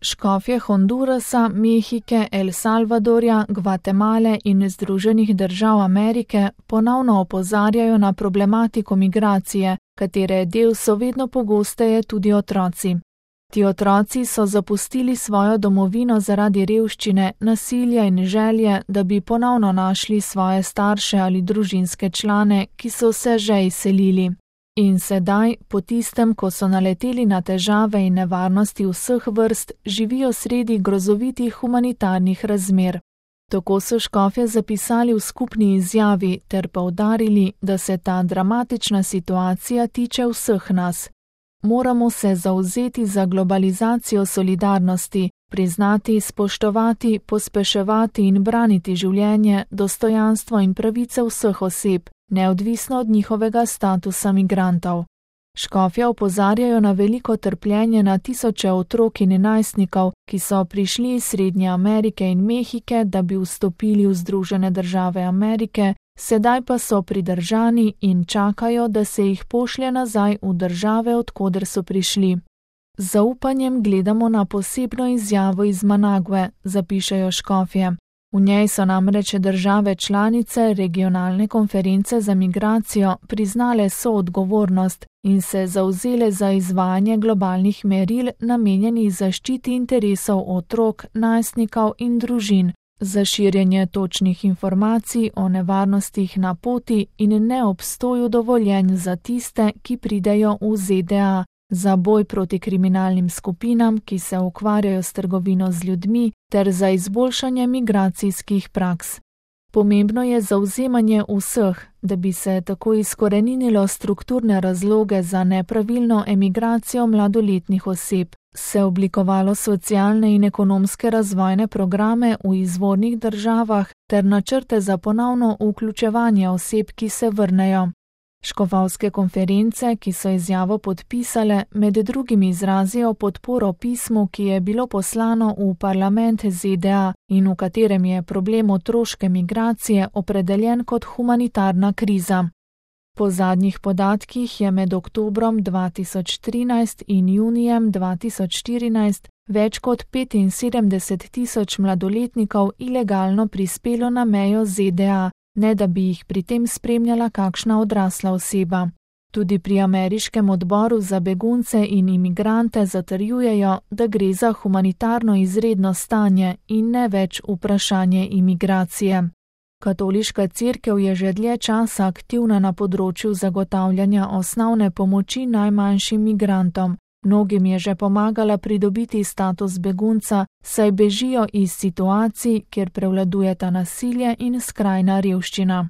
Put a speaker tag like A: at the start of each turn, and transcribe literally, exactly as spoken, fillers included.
A: Škofje Hondurasa, Mehike, El Salvadorja, Gvatemale in Združenih držav Amerike ponovno opozarjajo na problematiko migracije, katere del so vedno pogosteje tudi otroci. Ti otroci so zapustili svojo domovino zaradi revščine, nasilja in želje, da bi ponovno našli svoje starše ali družinske člane, ki so se že izselili. In sedaj, po tistem, ko so naleteli na težave in nevarnosti vseh vrst, živijo sredi grozovitih humanitarnih razmer. Tako so škofje zapisali v skupni izjavi ter poudarili, da se ta dramatična situacija tiče vseh nas. Moramo se zavzeti za globalizacijo solidarnosti, priznati, spoštovati, pospeševati in braniti življenje, dostojanstvo in pravice vseh oseb, neodvisno od njihovega statusa migrantov. Škofje opozarjajo na veliko trpljenje na tisoče otrok in najstnikov, ki so prišli iz Srednje Amerike in Mehike, da bi vstopili v Združene države Amerike, sedaj pa so pridržani in čakajo, da se jih pošlje nazaj v države, od koder so prišli. Z zaupanjem gledamo na posebno izjavo iz Manague, zapišejo škofje. V njej so namreč države članice regionalne konference za migracijo priznale soodgovornost in se zavzele za izvajanje globalnih meril namenjenih zaščiti interesov otrok, najstnikov in družin, za širjenje točnih informacij o nevarnostih na poti in neobstoju dovoljenj za tiste, ki pridejo v Z D A, za boj proti kriminalnim skupinam, ki se ukvarjajo s trgovino z ljudmi, ter za izboljšanje migracijskih praks. Pomembno je zavzemanje vseh, da bi se tako izkoreninilo strukturne razloge za nepravilno emigracijo mladoletnih oseb, se oblikovalo socialne in ekonomske razvojne programe v izvornih državah ter načrte za ponovno vključevanje oseb, ki se vrnejo. Škofovske konference, ki so izjavo podpisale, med drugim izrazijo podporo pismu, ki je bilo poslano v parlament Z D A in v katerem je problem otroške migracije opredeljen kot humanitarna kriza. Po zadnjih podatkih je med oktobrom dva tisoč trinajst in junijem dva tisoč štirinajst več kot petinsedemdeset tisoč mladoletnikov ilegalno prispelo na mejo Z D A, ne da bi jih pri tem spremljala kakšna odrasla oseba. Tudi pri ameriškem odboru za begunce in imigrante zatrjujejo, da gre za humanitarno izredno stanje in ne več vprašanje imigracije. Katoliška cerkev je že dlje časa aktivna na področju zagotavljanja osnovne pomoči najmanjšim migrantom. Mnogim je že pomagala pridobiti status begunca, saj bežijo iz situacij, kjer prevladujeta nasilje in skrajna revščina.